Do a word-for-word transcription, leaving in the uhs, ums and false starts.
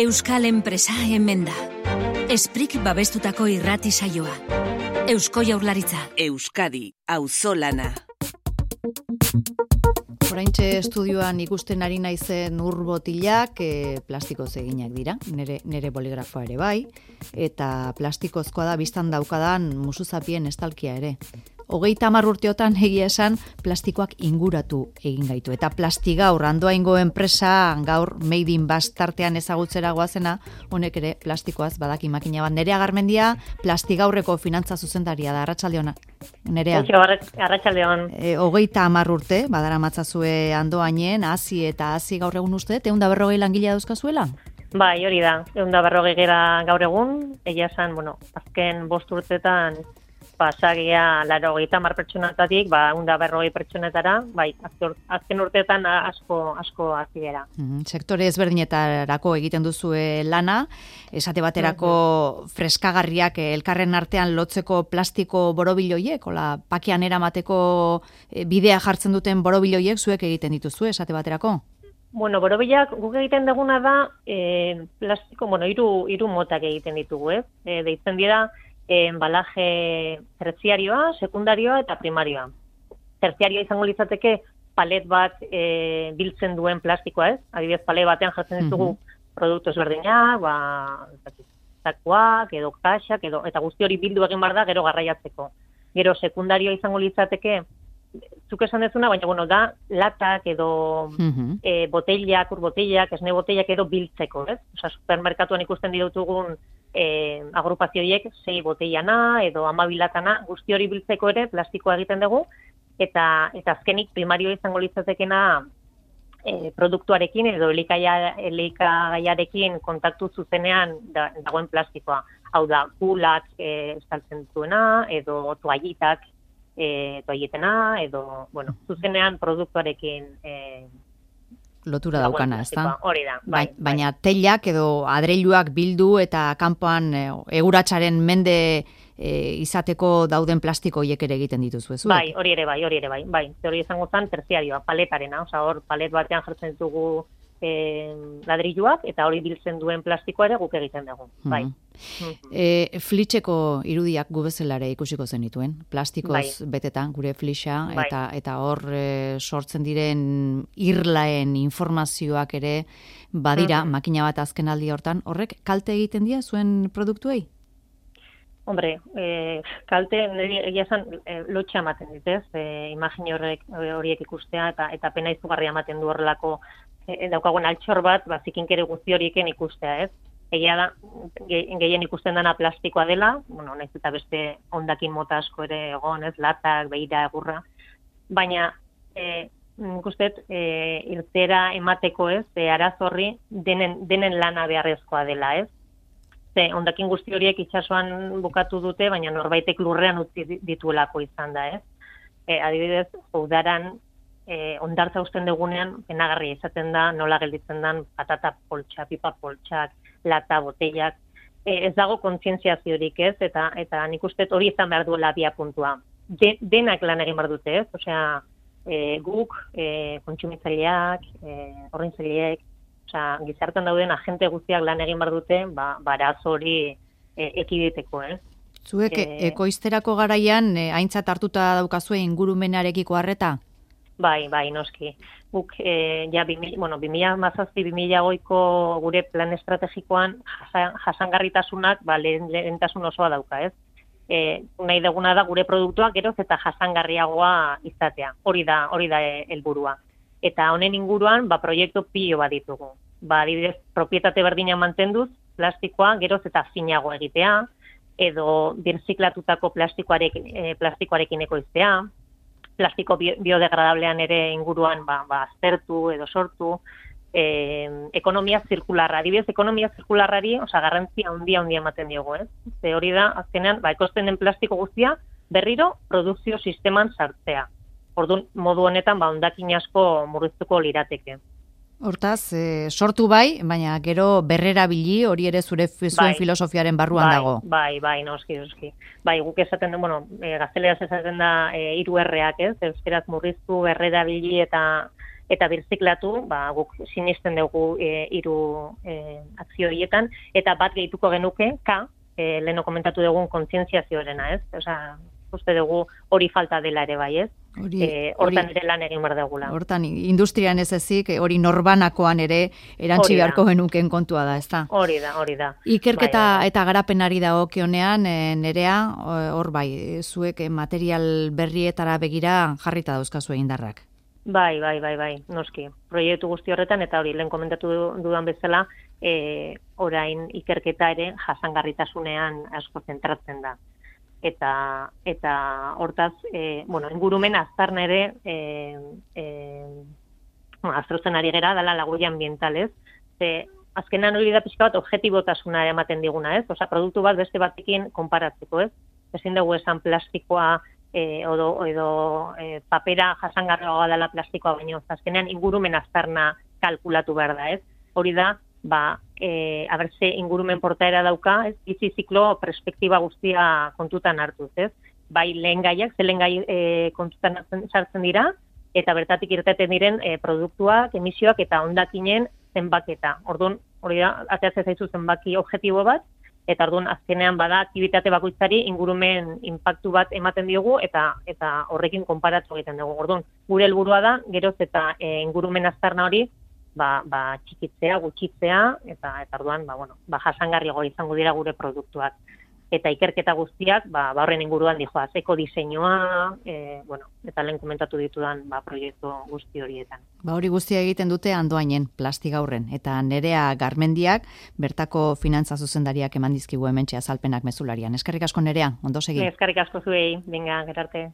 Euskal enpresa hemen da. Esprik babestutako irrati saioa. Eusko Jaurlaritza. Euskadi, auzolana. Oraintxe estudioan ikusten ari naizen ur botilak e, plastikoz eginak dira, nere, nere boligrafoa ere bai, eta plastikozkoa da biztan daukadan musuzapien estalkia ere. Hogeita hamar urteotan egia esan plastikoak inguratu egin gaitu. Eta Plastigaur, Andoaingo enpresa gaur Made in Basque tartean ezagutzera goazena, honek ere plastikoaz badaki makina bat. Nerea Garmendia, Plastigaurreko finantza zuzendaria da, arratsaldeona. Nerea. Arratsaldeon. E, hogeita hamar urte, badara matzazue Andoainen, hasi eta hasi gaur egun uste, ehun eta berrogei langilea dauzkazuela? Bai, hori da, ehun eta berrogei gera gaur egun, egia esan, bueno, azken bost urtetan pasagia laro hogeita hamar pertsonatatik, ba, ehun eta berrogei pertsonetara, bai, azken urteetan asko, asko hasi gara. Mm-hmm. Sektore ezberdinetarako egiten duzue lana, esate baterako mm-hmm. freskagarriak elkarren artean lotzeko plastiko borobiloiek, ola pakean eramateko bidea jartzen duten borobiloiek zuek egiten dituzue, esate baterako? Bueno, borobilak guk egiten duguna da, eh, plastiko, bueno, hiru hiru motak egiten ditugu, ez? Eh, deitzen dira, embalaje terziarioa, sekundarioa eta primarioa. Terziarioa izango litzateke palet bat e, biltzen duen plastikoa, ez? Adibidez, palet batean jartzen ditugu mm-hmm. produktu ezberdinak, ba, zakuak, edo kaxak, edo, eta guzti hori bildu egin bar da gero garraiatzeko. Gero sekundarioa izango litzateke, zuk esan dezuna, baina bueno, da latak edo mm-hmm. e, botellak, ur botellak, esne botellak edo biltzeko, ez? Osa, supermerkatuan ikusten ditugun E, agrupazioiek sei botellana edo hamabilatana guzti hori biltzeko ere plastikoa egiten dugu eta eta azkenik primario izango litzatekena e, produktuarekin edo elikaia, elikagaiarekin kontaktu zuzenean da, dagoen plastikoa. Hau da, kulak e, estaltzen duena edo toallitak e, toalletena edo, bueno, zuzenean produktuarekin e, lotura daukana, ez da? Hori da, bai. Baina teilak edo adreiluak bildu eta kanpoan e, eguratsaren mende e, izateko dauden plastiko hiek ere egiten dituzu, ez? Bai, hori ere bai, hori ere bai. Bai, hori izango zen terziarioa, paletarena, osea hor palet batean jartzen dugu e, ladrilluak eta hori biltzen duen plastikoa ere guk egiten dugu, bai. Mm-hmm. E, flitxeko irudiak gu bezalare ikusiko zenituen, plastikoz bai. Betetan gure flixa bai. eta eta hor e, sortzen diren irlaen informazioak ere badira, mm-hmm. makina bat azken aldi hortan, horrek kalte egiten dira zuen produktuei? Hombre, eh, kalte egia esan eh, lotxa ematen ditez, eh, imagin horrek horiek ikustea eta eta pena izugarria ematen du horrelako eh, daukagun altxor bat, ba zikinkere guzti horieken ikustea, ez? Egia da, gehien ikusten dena plastikoa dela, bueno, naiz eta beste hondakin mota asko ere egon, ez, latak, beira, egurra, baina eh, nik usteet eh, irtera emateko, ez, e, arazorri denen, denen lana beharrezkoa dela, ez? Ze, hondakin guzti horiek itsasoan bukatu dute, baina norbaitek lurrean utzi dituelako izan da, ez? E, adibidez, udaran e, hondartza usten dugunean, penagarria izaten da, nola gelditzen den patata poltsa, pipa poltsak, lata, botellak, e, ez dago kontzientziaziorik, ez? Eta, eta nik uste hori izan behar duela bia puntua. De, denak lan egin behar dute, ez? Osea, e, guk, e, kontsumitzaileak, e, horrintzaileek, osea, gizartean dauden agente guztiak lan egin behar dute, ba, baraz hori e, ekiditeko, ez? Zuek e, ekoizterako garaian e, aintzat hartuta daukazue ingurumenarekiko harreta? Bai, bai, noski. Guk, e, ja, bimila, bueno, bimila mazazpi, bimila goiko gure plan estrategikoan jasan, jasangarritasunak ba, lehen, lehentasun osoa dauka, ez? E, nahi duguna da gure produktuak geroz eta jasangarriagoa izatea. Hori da, hori da helburua. Eta honen inguruan, ba, proiektu pilo bat ditugu. Ba, adibidez, propietate berdina mantenduz, plastikoa geroz eta finago egitea, edo birziklatutako plastikoarekin, e, plastikoarekin ekoiztea, plastiko biodegradablean ere inguruan ba, ba, aztertu edo sortu, e, ekonomia zirkularra. Adibidez, ekonomia zirkularrari, osea, garrantzia handia handia ematen diogu, ez? Ze hori da, azkenean, ba, ekoizten den plastiko guztia, berriro produkzio sisteman sartzea. Orduan, modu honetan, ba, hondakin asko murriztuko lirateke. Hortaz, e, sortu bai, baina gero berrerabili hori ere zure zuen bai, filosofiaren barruan bai, dago. Bai, bai, noski, noski. Bai, guk esaten du, bueno, e, gazteleraz esaten da e, hiru erreak, ez? Euskeraz murriztu, berrerabili eta eta birziklatu, ba, guk sinisten dugu e, hiru e, akzio horietan, eta bat gehituko genuke, K, e, leheno komentatu dugun kontzientziazioarena, ez? Osea, uste dugu hori falta dela ere bai, ez? Hori, e, hortan ere lan egin behar dugula. Hortan, industrian ez ezik, hori norbanakoan ere erantzi beharko genuken kontua da, ez da? Hori da, hori da. Ikerketa bai, eta garapenari dagokionean, e, Nerea, hor bai, zuek material berrietara begira jarrita dauzkazu indarrak. Bai, bai, bai, bai, noski. Proiektu guzti horretan, eta hori, lehen komentatu dudan bezala, e, orain ikerketa ere jasangarritasunean asko zentratzen da. Eta eta hortaz, e, bueno, ingurumen aztarna ere e, e, bueno, aztertzen ari gera dela laguia ambientalez. Ze azkenan hori da pixka bat objetibotasuna ematen diguna, ez? Osea, produktu bat beste batekin konparatzeko, ez? Ezin dugu esan plastikoa e, edo, edo e, papera jasangarriagoa dela plastikoa, baino azkenean ingurumen aztarna kalkulatu behar da, ez? Hori da, ba, e, abertze ingurumen portaera dauka, ez, bizi ziklo perspektiba guztia kontutan hartuz, ez? Bai lehen gaiak, ze lehen gai e, kontutan sartzen dira, eta bertatik irteten diren e, produktuak, emisioak eta hondakinen zenbaketa. Orduan, hori da, ateratzen zaizu zenbaki objektibo bat, eta orduan azkenean bada aktibitate bakoitzari ingurumen inpaktu bat ematen diogu, eta eta horrekin konparatu egiten dugu. Orduan, gure helburua da, geroz eta e, ingurumen aztarna hori, ba, ba txikitzea, gutxitzea, eta eta orduan, ba, bueno, ba, jasangarriago izango dira gure produktuak. Eta ikerketa guztiak, ba, ba horren inguruan dijoaz, eko diseinua, e, bueno, eta lehen komentatu ditudan, ba, proiektu guzti horietan. Ba, hori guztia egiten dute Andoainen, Plastigaurren, eta Nerea Garmendiak, bertako finantza zuzendariak eman dizkigu hementxe azalpenak mezularian. Eskerrik asko Nerea, ondo segi. Eskerrik asko zuei, venga, gerarte.